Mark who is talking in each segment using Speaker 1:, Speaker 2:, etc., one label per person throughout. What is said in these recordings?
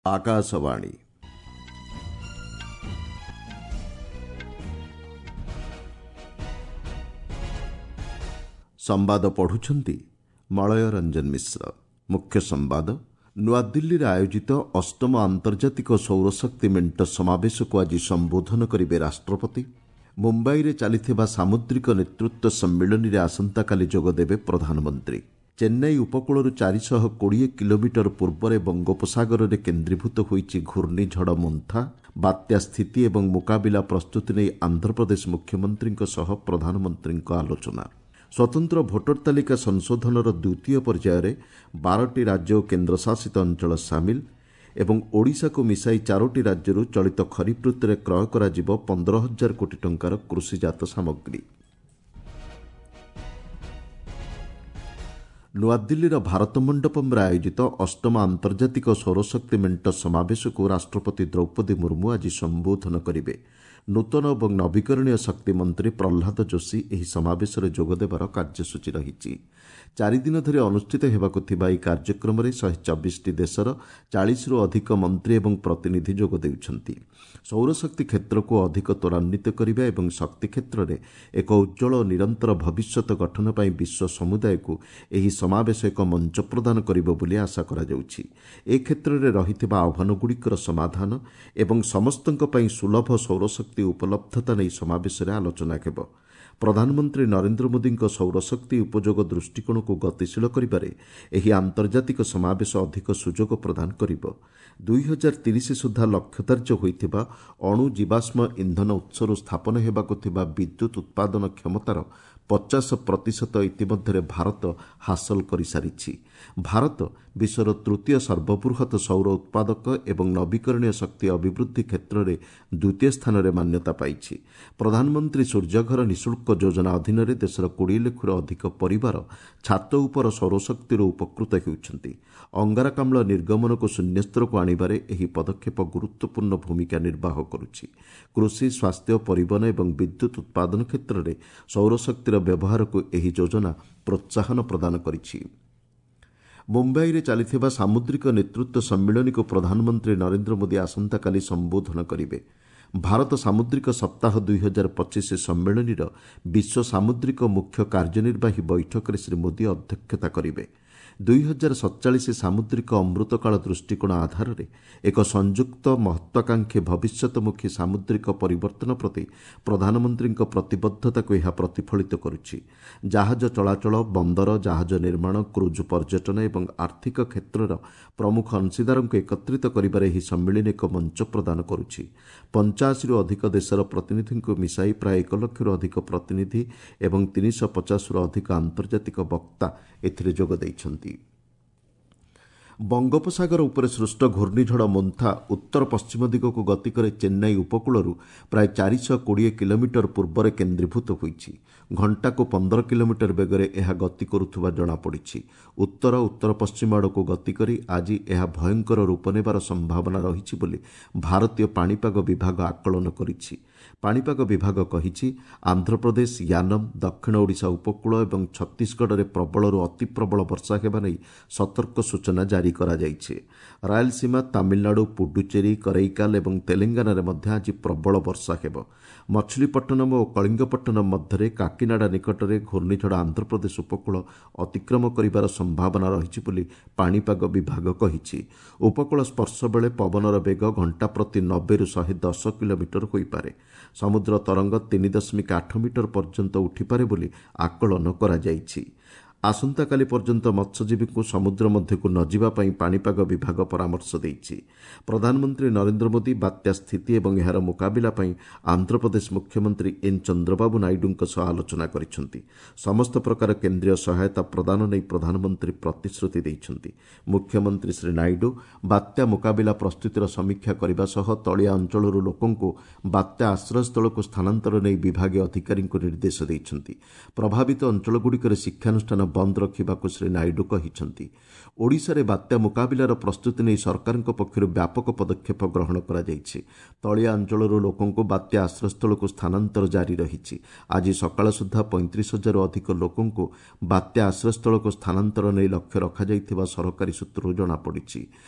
Speaker 1: ଆକାଶବାଣୀ। ସମ୍ବାଦ ପଢ଼ୁଛନ୍ତି ମଳୟ ରଞ୍ଜନ ମିଶ୍ର। ମୁଖ୍ୟ ସମ୍ବାଦ। ନୂଆଦିଲ୍ଲୀରେ ଆୟୋଜିତ ଅଷ୍ଟମ ଆନ୍ତର୍ଜାତିକ ସୌରଶକ୍ତି ମେଣ୍ଟ ସମାବେଶକୁ ଆଜି ସମ୍ବୋଧନ କରିବେ ରାଷ୍ଟ୍ରପତି। ମୁମ୍ବାଇରେ ଚାଲିଥିବା ସାମୁଦ୍ରିକ ନେତୃତ୍ୱ ସମ୍ମିଳନୀରେ ଆସନ୍ତାକାଲି ଯୋଗଦେବେ ପ୍ରଧାନମନ୍ତ୍ରୀ। ଚେନ୍ନାଇ ଉପକୂଳରୁ 420 କିଲୋମିଟର ପୂର୍ବରେ ବଙ୍ଗୋପସାଗରରେ କେନ୍ଦ୍ରୀଭୂତ ହୋଇଛି ଘୂର୍ଣ୍ଣିଝଡ଼ ମୋନ୍ଥା। ବାତ୍ୟା ସ୍ଥିତି ଏବଂ ମୁକାବିଲା ପ୍ରସ୍ତୁତି ନେଇ ଆନ୍ଧ୍ରପ୍ରଦେଶ ମୁଖ୍ୟମନ୍ତ୍ରୀଙ୍କ ସହ ପ୍ରଧାନମନ୍ତ୍ରୀଙ୍କ ଆଲୋଚନା। ସ୍ୱତନ୍ତ୍ର ଭୋଟର ତାଲିକା ସଂଶୋଧନର ଦ୍ୱିତୀୟ ପର୍ଯ୍ୟାୟରେ 12ଟି ରାଜ୍ୟ ଓ କେନ୍ଦ୍ରଶାସିତ ଅଞ୍ଚଳ ସାମିଲ ଏବଂ ଓଡ଼ିଶାକୁ ମିଶାଇ 4ଟି ରାଜ୍ୟରୁ ଚଳିତ ଖରିଫ ଋତୁରେ କ୍ରୟ କରାଯିବ 15 ହଜାର କୋଟି ଟଙ୍କାର କୃଷିଜାତ ସାମଗ୍ରୀ। ନୂଆଦିଲ୍ଲୀର ଭାରତ ମଣ୍ଡପମ୍ରେ ଆୟୋଜିତ ଅଷ୍ଟମ ଆନ୍ତର୍ଜାତିକ ସୌରଶକ୍ତି ମେଣ୍ଟ ସମାବେଶକୁ ରାଷ୍ଟ୍ରପତି ଦ୍ରୌପଦୀ ମୁର୍ମୁ ଆଜି ସମ୍ବୋଧନ କରିବେ। ନୂତନ ଏବଂ ନବୀକରଣୀୟ ଶକ୍ତି ମନ୍ତ୍ରୀ ପ୍ରହ୍ଲାଦ ଯୋଶୀ ଏହି ସମାବେଶରେ ଯୋଗଦେବାର କାର୍ଯ୍ୟସୂଚୀ ରହିଛି। 4 ଦିନ ଧରି ଅନୁଷ୍ଠିତ ହେବାକୁ ଥିବା ଏହି କାର୍ଯ୍ୟକ୍ରମରେ 124ଟି ଦେଶର 40ରୁ ଅଧିକ ମନ୍ତ୍ରୀ ଏବଂ ପ୍ରତିନିଧି ଯୋଗ ଦେଉଛନ୍ତି। ସୌରଶକ୍ତି କ୍ଷେତ୍ରକୁ ଅଧିକ ତ୍ୱରାନ୍ୱିତ କରିବା ଏବଂ ଶକ୍ତି କ୍ଷେତ୍ରରେ ଏକ ଉଜ୍ଜ୍ୱଳ ଓ ନିରନ୍ତର ଭବିଷ୍ୟତ ଗଠନ ପାଇଁ ବିଶ୍ୱ ସମୁଦାୟକୁ ଏହି ସମାବେଶ ଏକ ମଞ୍ଚ ପ୍ରଦାନ କରିବ ବୋଲି ଆଶା କରାଯାଉଛି। ଏ କ୍ଷେତ୍ରରେ ରହିଥିବା ଆହ୍ୱାନଗୁଡ଼ିକର ସମାଧାନ ଏବଂ ସମସ୍ତଙ୍କ ପାଇଁ ସୁଲଭ ସୌରଶକ୍ତି ଉପଲବ୍ଧତା ନେଇ ସମାବେଶରେ ଆଲୋଚନା ହେବ। ପ୍ରଧାନମନ୍ତ୍ରୀ ନରେନ୍ଦ୍ର ମୋଦିଙ୍କ ସୌରଶକ୍ତି ଉପଯୋଗ ଦୃଷ୍ଟିକୋଣକୁ ଗତିଶୀଳ କରିବାରେ ଏହି ଆନ୍ତର୍ଜାତିକ ସମାବେଶ ଅଧିକ ସୁଯୋଗ ପ୍ରଦାନ କରିବ। 2030 ସୁଦ୍ଧା ଲକ୍ଷ୍ୟଧାର୍ଯ୍ୟ ହୋଇଥିବା ଅଣୁ ଜୀବାଶ୍ମ ଇନ୍ଧନ ଉତ୍ସରୁ ସ୍ଥାପନ ହେବାକୁ ଥିବା ବିଦ୍ୟୁତ୍ ଉତ୍ପାଦନ କ୍ଷମତାର 50 ପ୍ରତିଶତ ଇତିମଧ୍ୟରେ ଭାରତ ହାସଲ କରିସାରିଛି। ଭାରତ ବିଶ୍ୱର ତୃତୀୟ ସର୍ବବୃହତ୍ ସୌର ଉତ୍ପାଦକ ଏବଂ ନବୀକରଣୀୟ ଶକ୍ତି ଅଭିବୃଦ୍ଧି କ୍ଷେତ୍ରରେ ଦ୍ୱିତୀୟ ସ୍ଥାନରେ ମାନ୍ୟତା ପାଇଛି। ପ୍ରଧାନମନ୍ତ୍ରୀ ସୂର୍ଯ୍ୟଘର ନିଃଶୁଳ୍କ ଯୋଜନା ଅଧୀନରେ ଦେଶର 20 ଲକ୍ଷରୁ ଅଧିକ ପରିବାର ଛାତ ଉପର ସୌରଶକ୍ତିରୁ ଉପକୃତ ହେଉଛନ୍ତି। ଅଙ୍ଗାରକାମ୍ଳ ନିର୍ଗମନକୁ ଶୂନ୍ୟସ୍ତରକୁ ଆଣିବାରେ ଏହି ପଦକ୍ଷେପ ଗୁରୁତ୍ୱପୂର୍ଣ୍ଣ ଭୂମିକା ନିର୍ବାହ କରୁଛି। କୃଷି, ସ୍ୱାସ୍ଥ୍ୟ, ପରିବହନ ଏବଂ ବିଦ୍ୟୁତ୍ ଉତ୍ପାଦନ କ୍ଷେତ୍ରରେ ସୌରଶକ୍ତିର ବ୍ୟବହାରକୁ ଏହି ଯୋଜନା ପ୍ରୋତ୍ସାହନ ପ୍ରଦାନ କରିଛି। ମୁମ୍ବାଇରେ ଚାଲିଥିବା ସାମୁଦ୍ରିକ ନେତୃତ୍ୱ ସମ୍ମିଳନୀକୁ ପ୍ରଧାନମନ୍ତ୍ରୀ ନରେନ୍ଦ୍ର ମୋଦି ଆସନ୍ତାକାଲି ସମ୍ବୋଧନ କରିବେ। ଭାରତ ସାମୁଦ୍ରିକ ସପ୍ତାହ 2025 ସମ୍ମିଳନୀର ବିଶ୍ୱ ସାମୁଦ୍ରିକ ମୁଖ୍ୟ କାର୍ଯ୍ୟନିର୍ବାହୀ ବୈଠକରେ ଶ୍ରୀ ମୋଦି ଅଧ୍ୟକ୍ଷତା କରିବେ। 2047 ସାମୁଦ୍ରିକ ଅମୃତକାଳ ଦୃଷ୍ଟିକୋଣ ଆଧାରରେ ଏକ ସଂଯୁକ୍ତ, ମହତ୍ୱାକାଂକ୍ଷୀ, ଭବିଷ୍ୟତମୁଖୀ ସାମୁଦ୍ରିକ ପରିବର୍ତ୍ତନ ପ୍ରତି ପ୍ରଧାନମନ୍ତ୍ରୀଙ୍କ ପ୍ରତିବଦ୍ଧତାକୁ ଏହା ପ୍ରତିଫଳିତ କରୁଛି। ଜାହାଜ ଚଳାଚଳ, ବନ୍ଦର, ଜାହାଜ ନିର୍ମାଣ, କ୍ରୁଜ୍ ପର୍ଯ୍ୟଟନ ଏବଂ ଆର୍ଥିକ କ୍ଷେତ୍ରର ପ୍ରମୁଖ ଅଂଶୀଦାରଙ୍କୁ ଏକତ୍ରିତ କରିବାରେ ଏହି ସମ୍ମିଳନୀ ଏକ ମଞ୍ଚ ପ୍ରଦାନ କରୁଛି। 85ରୁ ଅଧିକ ଦେଶର ପ୍ରତିନିଧିଙ୍କୁ ମିଶାଇ ପ୍ରାୟ 1 ଲକ୍ଷରୁ ଅଧିକ ପ୍ରତିନିଧି ଏବଂ 350ରୁ ଅଧିକ ଆନ୍ତର୍ଜାତିକ ବକ୍ତା ଏଥିରେ ଯୋଗ ଦେଇଛନ୍ତି। ବଙ୍ଗୋପସାଗର ଉପରେ ସୃଷ୍ଟ ଘୂର୍ଣ୍ଣିଝଡ଼ ମୋନ୍ଥା ଉତ୍ତର ପଶ୍ଚିମ ଦିଗକୁ ଗତି କରି ଚେନ୍ନାଇ ଉପକୂଳରୁ ପ୍ରାୟ 420 କିଲୋମିଟର ପୂର୍ବରେ କେନ୍ଦ୍ରୀଭୂତ ହୋଇଛି। ଘଣ୍ଟାକୁ 15 କିଲୋମିଟର ବେଗରେ ଏହା ଗତି କରୁଥିବା ଜଣାପଡ଼ିଛି। ଉତ୍ତର ଉତ୍ତର ପଶ୍ଚିମ ଆଡ଼କୁ ଗତି କରି ଆଜି ଏହା ଭୟଙ୍କର ରୂପ ନେବାର ସମ୍ଭାବନା ରହିଛି ବୋଲି ଭାରତୀୟ ପାଣିପାଗ ବିଭାଗ ଆକଳନ କରିଛି। ପାଣିପାଗ ବିଭାଗ କହିଛି, ଆନ୍ଧ୍ରପ୍ରଦେଶ, ୟାନମ, ଦକ୍ଷିଣ ଓଡ଼ିଶା ଉପକୂଳ ଏବଂ ଛତିଶଗଡ଼ରେ ପ୍ରବଳରୁ ଅତିପ୍ରବଳ ବର୍ଷା ହେବା ନେଇ ସତର୍କ ସୂଚନା ଜାରି କରାଯାଇଛି। ରାୟଲସୀମା, ତାମିଲନାଡୁ, ପୁଡୁଚେରୀ, କରୈକାଲ ଏବଂ ତେଲେଙ୍ଗାନାରେ ମଧ୍ୟ ଆଜି ପ୍ରବଳ ବର୍ଷା ହେବ। ମଛଲିପଟ୍ଟନମ ଓ କଳିଙ୍ଗପଟ୍ଟନମ ମଧ୍ୟରେ କାକିନାଡା ନିକଟରେ ଘୂର୍ଣ୍ଣିଝଡ଼ ଆନ୍ଧ୍ରପ୍ରଦେଶ ଉପକୂଳ ଅତିକ୍ରମ କରିବାର ସମ୍ଭାବନା ରହିଛି ବୋଲି ପାଣିପାଗ ବିଭାଗ କହିଛି। ଉପକୂଳ ସ୍ପର୍ଶ ବେଳେ ପବନର ବେଗ ଘଣ୍ଟା ପ୍ରତି 90ରୁ 110 କିଲୋମିଟର ହୋଇପାରେ। ସମୁଦ୍ର ତରଙ୍ଗ 3.8 ମିଟର ପର୍ଯ୍ୟନ୍ତ ଉଠିପାରେ ବୋଲି ଆକଳନ କରାଯାଇଛି। ଆସନ୍ତାକାଲି ପର୍ଯ୍ୟନ୍ତ ମତ୍ସ୍ୟଜୀବୀଙ୍କୁ ସମୁଦ୍ର ମଧ୍ୟକୁ ନ ଯିବା ପାଇଁ ପାଣିପାଗ ବିଭାଗ ପରାମର୍ଶ ଦେଇଛି। ପ୍ରଧାନମନ୍ତ୍ରୀ ନରେନ୍ଦ୍ର ମୋଦି ବାତ୍ୟା ସ୍ଥିତି ଏବଂ ଏହାର ମୁକାବିଲା ପାଇଁ ଆନ୍ଧ୍ରପ୍ରଦେଶ ମୁଖ୍ୟମନ୍ତ୍ରୀ ଏନ୍ ଚନ୍ଦ୍ରବାବୁ ନାଇଡୁଙ୍କ ସହ ଆଲୋଚନା କରିଛନ୍ତି। ସମସ୍ତ ପ୍ରକାର କେନ୍ଦ୍ରୀୟ ସହାୟତା ପ୍ରଦାନ ନେଇ ପ୍ରଧାନମନ୍ତ୍ରୀ ପ୍ରତିଶ୍ରୁତି ଦେଇଛନ୍ତି। ମୁଖ୍ୟମନ୍ତ୍ରୀ ଶ୍ରୀ ନାଇଡୁ ବାତ୍ୟା ମୁକାବିଲା ପ୍ରସ୍ତୁତିର ସମୀକ୍ଷା କରିବା ସହ ତଳିଆ ଅଞ୍ଚଳରୁ ଲୋକଙ୍କୁ ବାତ୍ୟା ଆଶ୍ରୟସ୍ଥଳକୁ ସ୍ଥାନାନ୍ତର ନେଇ ବିଭାଗୀୟ ଅଧିକାରୀଙ୍କୁ ନିର୍ଦ୍ଦେଶ ଦେଇଛନ୍ତି। ପ୍ରଭାବିତ ଅଞ୍ଚଳଗୁଡ଼ିକରେ ଶିକ୍ଷାନୁଷ୍ଠାନ ବନ୍ଦ ରଖିବାକୁ ଶ୍ରୀ ନାଇଡୁ କହିଛନ୍ତି। ଓଡ଼ିଶାରେ ବାତ୍ୟା ମୁକାବିଲାର ପ୍ରସ୍ତୁତି ନେଇ ସରକାରଙ୍କ ପକ୍ଷରୁ ବ୍ୟାପକ ପଦକ୍ଷେପ ଗ୍ରହଣ କରାଯାଇଛି। ତଳିଆ ଅଞ୍ଚଳରୁ ଲୋକଙ୍କୁ ବାତ୍ୟା ଆଶ୍ରୟସ୍ଥଳକୁ ସ୍ଥାନାନ୍ତର ଜାରି ରହିଛି। ଆଜି ସକାଳ ସୁଦ୍ଧା 35 ହଜାରରୁ ଅଧିକ ଲୋକଙ୍କୁ ବାତ୍ୟା ଆଶ୍ରୟସ୍ଥଳକୁ ସ୍ଥାନାନ୍ତର ନେଇ ଲକ୍ଷ୍ୟ ରଖାଯାଇଥିବା ସରକାରୀ ସୂତ୍ରରୁ ଜଣାପଡ଼ିଛି।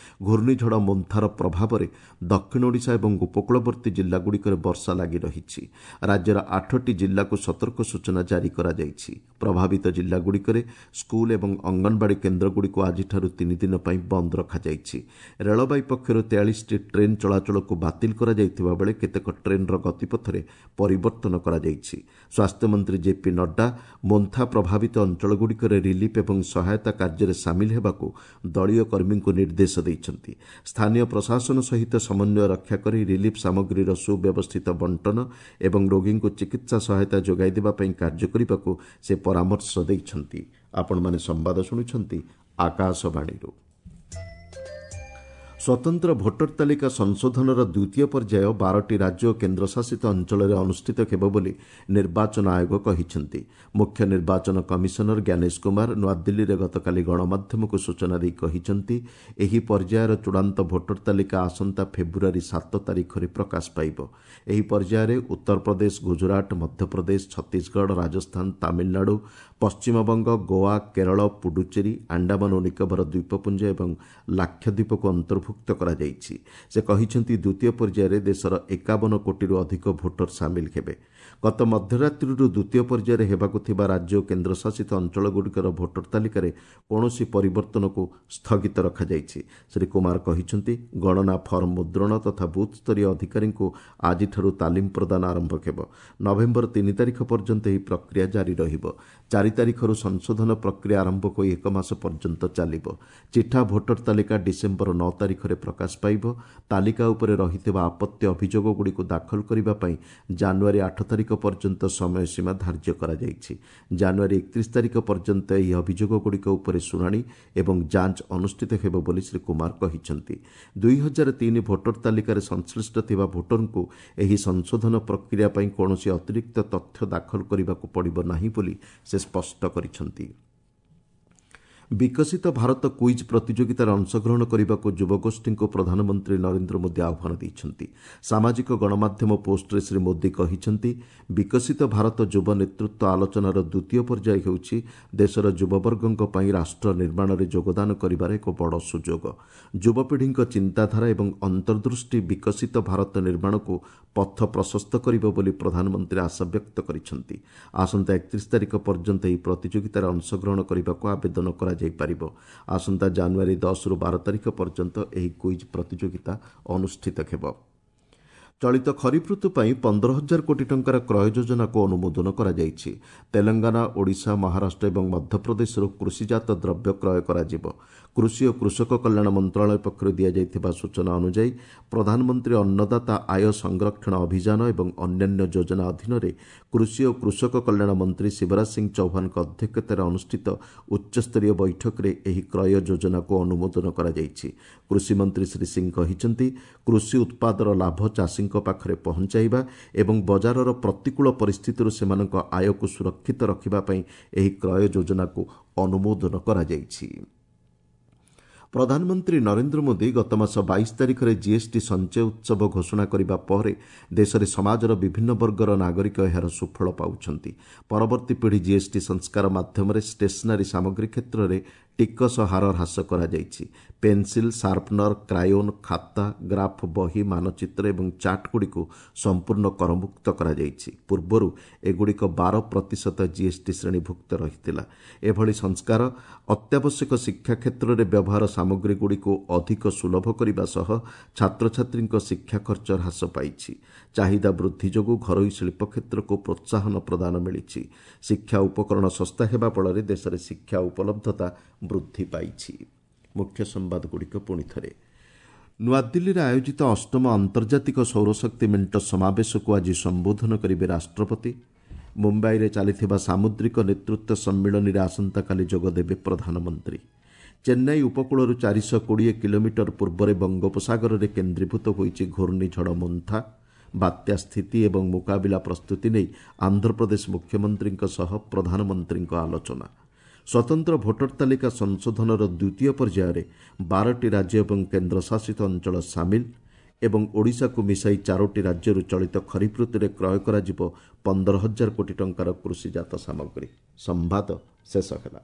Speaker 1: ଘୂର୍ଣ୍ଣିଝଡ଼ ମୋନ୍ଥାର ପ୍ରଭାବରେ ଦକ୍ଷିଣ ଓଡ଼ିଶା ଏବଂ ଉପକୂଳବର୍ତ୍ତୀ ଜିଲ୍ଲାଗୁଡ଼ିକରେ ବର୍ଷା ଲାଗି ରହିଛି। ରାଜ୍ୟର ଆଠଟି ଜିଲ୍ଲାକୁ ସତର୍କ ସୂଚନା ଜାରି କରାଯାଇଛି। ପ୍ରଭାବିତ ଜିଲ୍ଲାଗୁଡ଼ିକରେ ସ୍କୁଲ ଏବଂ ଅଙ୍ଗନବାଡ଼ି କେନ୍ଦ୍ରଗୁଡ଼ିକୁ ଆଜିଠାରୁ 3 ଦିନ ପାଇଁ ବନ୍ଦ ରଖାଯାଇଛି। ରେଳବାଇ ପକ୍ଷରୁ 43ଟି ଟ୍ରେନ୍ ଚଳାଚଳକୁ ବାତିଲ କରାଯାଇଥିବା ବେଳେ କେତେକ ଟ୍ରେନ୍ର ଗତିପଥରେ ପରିବର୍ତ୍ତନ କରାଯାଇଛି। ସ୍ୱାସ୍ଥ୍ୟମନ୍ତ୍ରୀ ଜେପି ନଡ୍ଡା ମୋନ୍ଥା ପ୍ରଭାବିତ ଅଞ୍ଚଳଗୁଡ଼ିକରେ ରିଲିଫ୍ ଏବଂ ସହାୟତା କାର୍ଯ୍ୟରେ ସାମିଲ ହେବାକୁ ଦଳୀୟ କର୍ମୀଙ୍କୁ ନିର୍ଦ୍ଦେଶ ଦେଇଛନ୍ତି। ସ୍ଥାନୀୟ ପ୍ରଶାସନ ସହିତ ସମନ୍ୱୟ ରକ୍ଷା କରି ରିଲିଫ୍ ସାମଗ୍ରୀର ସୁବ୍ୟବସ୍ଥିତ ବଣ୍ଟନ ଏବଂ ରୋଗୀଙ୍କୁ ଚିକିତ୍ସା ସହାୟତା ଯୋଗାଇ ଦେବା ପାଇଁ କାର୍ଯ୍ୟ କରିବାକୁ ସେ ପରାମର୍ଶ ଦେଇଛନ୍ତି। ଆପଣମାନେ ସମ୍ବାଦ ଶୁଣୁଛନ୍ତି ଆକାଶବାଣୀରୁ। ସ୍ୱତନ୍ତ୍ର ଭୋଟର ତାଲିକା ସଂଶୋଧନର ଦ୍ୱିତୀୟ ପର୍ଯ୍ୟାୟ 12ଟି ରାଜ୍ୟ ଓ କେନ୍ଦ୍ରଶାସିତ ଅଞ୍ଚଳରେ ଅନୁଷ୍ଠିତ ହେବ ବୋଲି ନିର୍ବାଚନ ଆୟୋଗ କହିଛନ୍ତି। ମୁଖ୍ୟ ନିର୍ବାଚନ କମିଶନର ଜ୍ଞାନେଶ କୁମାର ନୂଆଦିଲ୍ଲୀରେ ଗତକାଲି ଗଣମାଧ୍ୟମକୁ ସୂଚନା ଦେଇ କହିଛନ୍ତି, ଏହି ପର୍ଯ୍ୟାୟର ଚୂଡ଼ାନ୍ତ ଭୋଟର ତାଲିକା ଆସନ୍ତା ଫେବୃଆରୀ 7 ତାରିଖରେ ପ୍ରକାଶ ପାଇବ। ଏହି ପର୍ଯ୍ୟାୟରେ ଉତ୍ତରପ୍ରଦେଶ, ଗୁଜରାଟ, ମଧ୍ୟପ୍ରଦେଶ, ଛତିଶଗଡ଼, ରାଜସ୍ଥାନ, ତାମିଲନାଡୁ, ପଶ୍ଚିମବଙ୍ଗ, ଗୋଆ, କେରଳ, ପୁଡୁଚେରୀ, ଆଣ୍ଡାମାନ ଓ ନିକୋବର ଦ୍ୱୀପପୁଞ୍ଜ ଏବଂ ଲାକ୍ଷାଦ୍ୱୀପକୁ ଅନ୍ତର୍ଭୁକ୍ତ କରାଯାଇଛି। ସେ କହିଛନ୍ତି, ଦ୍ୱିତୀୟ ପର୍ଯ୍ୟାୟରେ ଦେଶର 51 କୋଟିରୁ ଅଧିକ ଭୋଟର ସାମିଲ ହେବେ। ଗତ ମଧ୍ୟରାତ୍ରିରୁ ଦ୍ୱିତୀୟ ପର୍ଯ୍ୟାୟରେ ହେବାକୁ ଥିବା ରାଜ୍ୟ ଓ କେନ୍ଦ୍ରଶାସିତ ଅଞ୍ଚଳଗୁଡ଼ିକର ଭୋଟର ତାଲିକାରେ କୌଣସି ପରିବର୍ତ୍ତନକୁ ସ୍ଥଗିତ ରଖାଯାଇଛି। ଶ୍ରୀ କୁମାର କହିଛନ୍ତି, ଗଣନା ଫର୍ମ ମୁଦ୍ରଣ ତଥା ବୁଥ୍ସ୍ତରୀୟ ଅଧିକାରୀଙ୍କୁ ଆଜିଠାରୁ ତାଲିମ ପ୍ରଦାନ ଆରମ୍ଭ ହେବ। ନଭେମ୍ବର 3 ତାରିଖ ପର୍ଯ୍ୟନ୍ତ ଏହି ପ୍ରକ୍ରିୟା ଜାରି ରହିବ। 4 ତାରିଖରୁ ସଂଶୋଧନ ପ୍ରକ୍ରିୟା ଆରମ୍ଭ ହୋଇ ଏକ ମାସ ପର୍ଯ୍ୟନ୍ତ ଚାଲିବ। ଚିଠା ଭୋଟର ତାଲିକା ଡିସେମ୍ବର 9 ତାରିଖରେ ପ୍ରକାଶ ପାଇବ। ତାଲିକା ଉପରେ ରହିଥିବା ଆପତ୍ତି ଅଭିଯୋଗଗୁଡ଼ିକୁ ଦାଖଲ କରିବା ପାଇଁ ଜାନୁଆରୀ 8 ତାରିଖ ପର୍ଯ୍ୟନ୍ତ ସମୟସୀମା ଧାର୍ଯ୍ୟ କରାଯାଇଛି। ଜାନୁଆରୀ 31 ତାରିଖ ପର୍ଯ୍ୟନ୍ତ ଏହି ଅଭିଯୋଗଗୁଡ଼ିକ ଉପରେ ଶୁଣାଣି ଏବଂ ଯାଞ୍ଚ ଅନୁଷ୍ଠିତ ହେବ ବୋଲି ଶ୍ରୀ କୁମାର କହିଛନ୍ତି। 2003 ଭୋଟର ତାଲିକାରେ ସଂଶ୍ଳିଷ୍ଟ ଥିବା ଭୋଟରଙ୍କୁ ଏହି ସଂଶୋଧନ ପ୍ରକ୍ରିୟା ପାଇଁ କୌଣସି ଅତିରିକ୍ତ ତଥ୍ୟ ଦାଖଲ କରିବାକୁ ପଡ଼ିବ ନାହିଁ ବୋଲି ସେ ସ୍ପଷ୍ଟ କରିଛନ୍ତି। ବିକଶିତ ଭାରତ କୁଇଜ୍ ପ୍ରତିଯୋଗିତାରେ ଅଂଶଗ୍ରହଣ କରିବାକୁ ଯୁବଗୋଷ୍ଠୀଙ୍କୁ ପ୍ରଧାନମନ୍ତ୍ରୀ ନରେନ୍ଦ୍ର ମୋଦି ଆହ୍ୱାନ ଦେଇଛନ୍ତି। ସାମାଜିକ ଗଣମାଧ୍ୟମ ପୋଷ୍ଟରେ ଶ୍ରୀ ମୋଦି କହିଛନ୍ତି, ବିକଶିତ ଭାରତ ଯୁବ ନେତୃତ୍ୱ ଆଲୋଚନାର ଦ୍ୱିତୀୟ ପର୍ଯ୍ୟାୟ ହେଉଛି ଦେଶର ଯୁବବର୍ଗଙ୍କ ପାଇଁ ରାଷ୍ଟ୍ର ନିର୍ମାଣରେ ଯୋଗଦାନ କରିବାର ଏକ ବଡ଼ ସୁଯୋଗ। ଯୁବପିଢ଼ିଙ୍କ ଚିନ୍ତାଧାରା ଏବଂ ଅନ୍ତର୍ଦୃଷ୍ଟି ବିକଶିତ ଭାରତ ନିର୍ମାଣକୁ ପଥ ପ୍ରଶସ୍ତ କରିବ ବୋଲି ପ୍ରଧାନମନ୍ତ୍ରୀ ଆଶାବ୍ୟକ୍ତ କରିଛନ୍ତି। ଆସନ୍ତା 31 ତାରିଖ ପର୍ଯ୍ୟନ୍ତ ଏହି ପ୍ରତିଯୋଗିତାରେ ଅଂଶଗ୍ରହଣ କରିବାକୁ ଆବେଦନ କରାଯାଇପାରିବ। ଆସନ୍ତା ଜାନୁଆରୀ 10ରୁ 12 ତାରିଖ ପର୍ଯ୍ୟନ୍ତ ଏହି କୁଇଜ୍ ପ୍ରତିଯୋଗିତା ଅନୁଷ୍ଠିତ ହେବ। ଚଳିତ ଖରିଫ ଋତୁ ପାଇଁ 15 ହଜାର କୋଟି ଟଙ୍କାର କ୍ରୟ ଯୋଜନାକୁ ଅନୁମୋଦନ କରାଯାଇଛି। ତେଲଙ୍ଗାନା, ଓଡ଼ିଶା, ମହାରାଷ୍ଟ୍ର ଏବଂ ମଧ୍ୟପ୍ରଦେଶରୁ କୃଷିଜାତ ଦ୍ରବ୍ୟ କ୍ରୟ କରାଯିବ। କୃଷି ଓ କୃଷକ କଲ୍ୟାଣ ମନ୍ତ୍ରଣାଳୟ ପକ୍ଷରୁ ଦିଆଯାଇଥିବା ସୂଚନା ଅନୁଯାୟୀ, ପ୍ରଧାନମନ୍ତ୍ରୀ ଅନ୍ନଦାତା ଆୟ ସଂରକ୍ଷଣ ଅଭିଯାନ ଏବଂ ଅନ୍ୟାନ୍ୟ ଯୋଜନା ଅଧୀନରେ କୃଷି ଓ କୃଷକ କଲ୍ୟାଣ ମନ୍ତ୍ରୀ ଶିବରାଜ ସିଂ ଚୌହାନଙ୍କ ଅଧ୍ୟକ୍ଷତାରେ ଅନୁଷ୍ଠିତ ଉଚ୍ଚସ୍ତରୀୟ ବୈଠକରେ ଏହି କ୍ରୟ ଯୋଜନାକୁ ଅନୁମୋଦନ କରାଯାଇଛି। କୃଷିମନ୍ତ୍ରୀ ଶ୍ରୀ ସିଂ କହିଛନ୍ତି, କୃଷି ଉତ୍ପାଦର ଲାଭ ଚାଷୀଙ୍କ ପାଖରେ ପହଞ୍ଚାଇବା ଏବଂ ବଜାରର ପ୍ରତିକୂଳ ପରିସ୍ଥିତିରୁ ସେମାନଙ୍କ ଆୟକୁ ସୁରକ୍ଷିତ ରଖିବା ପାଇଁ ଏହି କ୍ରୟ ଯୋଜନାକୁ ଅନୁମୋଦନ କରାଯାଇଛି। ପ୍ରଧାନମନ୍ତ୍ରୀ ନରେନ୍ଦ୍ର ମୋଦି ଗତମାସ 22 ତାରିଖରେ ଜିଏସ୍ଟି ସଞ୍ଚୟ ଉତ୍ସବ ଘୋଷଣା କରିବା ପରେ ଦେଶରେ ସମାଜର ବିଭିନ୍ନ ବର୍ଗର ନାଗରିକ ଏହାର ସୁଫଳ ପାଉଛନ୍ତି। ପରବର୍ତ୍ତୀ ପିଢ଼ି ଜିଏସ୍ଟି ସଂସ୍କାର ମାଧ୍ୟମରେ ଷ୍ଟେସନାରୀ ସାମଗ୍ରୀ କ୍ଷେତ୍ରରେ ଟିକସ ହାର ହ୍ରାସ କରାଯାଇଛି। ପେନ୍ସିଲ୍, ସାର୍ପନର, କ୍ରାୟୋନ୍, ଖାତା, ଗ୍ରାଫ୍ ବହି, ମାନଚିତ୍ର ଏବଂ ଚାର୍ଟଗୁଡ଼ିକୁ ସମ୍ପୂର୍ଣ୍ଣ କରମୁକ୍ତ କରାଯାଇଛି। ପୂର୍ବରୁ ଏଗୁଡ଼ିକ 12% ଜିଏସ୍ଟି ଶ୍ରେଣୀଭୁକ୍ତ ରହିଥିଲା। ଏଭଳି ସଂସ୍କାର ଅତ୍ୟାବଶ୍ୟକ ଶିକ୍ଷା କ୍ଷେତ୍ରରେ ବ୍ୟବହାର ସାମଗ୍ରୀଗୁଡ଼ିକୁ ଅଧିକ ସୁଲଭ କରିବା ସହ ଛାତ୍ରଛାତ୍ରୀଙ୍କ ଶିକ୍ଷା ଖର୍ଚ୍ଚ ହ୍ରାସ ପାଇଛି। ଚାହିଦା ବୃଦ୍ଧି ଯୋଗୁଁ ଘରୋଇ ଶିଳ୍ପ କ୍ଷେତ୍ରକୁ ପ୍ରୋତ୍ସାହନ ପ୍ରଦାନ ମିଳିଛି। ଶିକ୍ଷା ଉପକରଣ ଶସ୍ତା ହେବା ଫଳରେ ଦେଶରେ ଶିକ୍ଷା ଉପଲବ୍ଧତା ବୃଦ୍ଧି ପାଇଛି। ମୁଖ୍ୟ ସମ୍ବାଦଗୁଡ଼ିକ ପୁଣି ଥରେ। ନୂଆଦିଲ୍ଲୀରେ ଆୟୋଜିତ ଅଷ୍ଟମ ଆନ୍ତର୍ଜାତିକ ସୌରଶକ୍ତି ମେଣ୍ଟ ସମାବେଶକୁ ଆଜି ସମ୍ବୋଧନ କରିବେ ରାଷ୍ଟ୍ରପତି। ମୁମ୍ବାଇରେ ଚାଲିଥିବା ସାମୁଦ୍ରିକ ନେତୃତ୍ୱ ସମ୍ମିଳନୀରେ ଆସନ୍ତାକାଲି ଯୋଗଦେବେ ପ୍ରଧାନମନ୍ତ୍ରୀ। ଚେନ୍ନାଇ ଉପକୂଳରୁ 420 କିଲୋମିଟର ପୂର୍ବରେ ବଙ୍ଗୋପସାଗରରେ କେନ୍ଦ୍ରୀଭୂତ ହୋଇଛି ଘୂର୍ଣ୍ଣିଝଡ଼ ମୋନ୍ଥା। ବାତ୍ୟା ସ୍ଥିତି ଏବଂ ମୁକାବିଲା ପ୍ରସ୍ତୁତି ନେଇ ଆନ୍ଧ୍ରପ୍ରଦେଶ ମୁଖ୍ୟମନ୍ତ୍ରୀଙ୍କ ସହ ପ୍ରଧାନମନ୍ତ୍ରୀଙ୍କ ଆଲୋଚନା। ସ୍ୱତନ୍ତ୍ର ଭୋଟର ତାଲିକା ସଂଶୋଧନର ଦ୍ୱିତୀୟ ପର୍ଯ୍ୟାୟରେ 12ଟି ରାଜ୍ୟ ଏବଂ କେନ୍ଦ୍ରଶାସିତ ଅଞ୍ଚଳ ସାମିଲ ଏବଂ ଓଡ଼ିଶାକୁ ମିଶାଇ 4ଟି ରାଜ୍ୟରୁ ଚଳିତ ଖରିଫ ଋତୁରେ କ୍ରୟ କରାଯିବ 15,000 କୋଟି ଟଙ୍କାର କୃଷିଜାତ ସାମଗ୍ରୀ। ସମ୍ବାଦ ଶେଷ ହେଲା।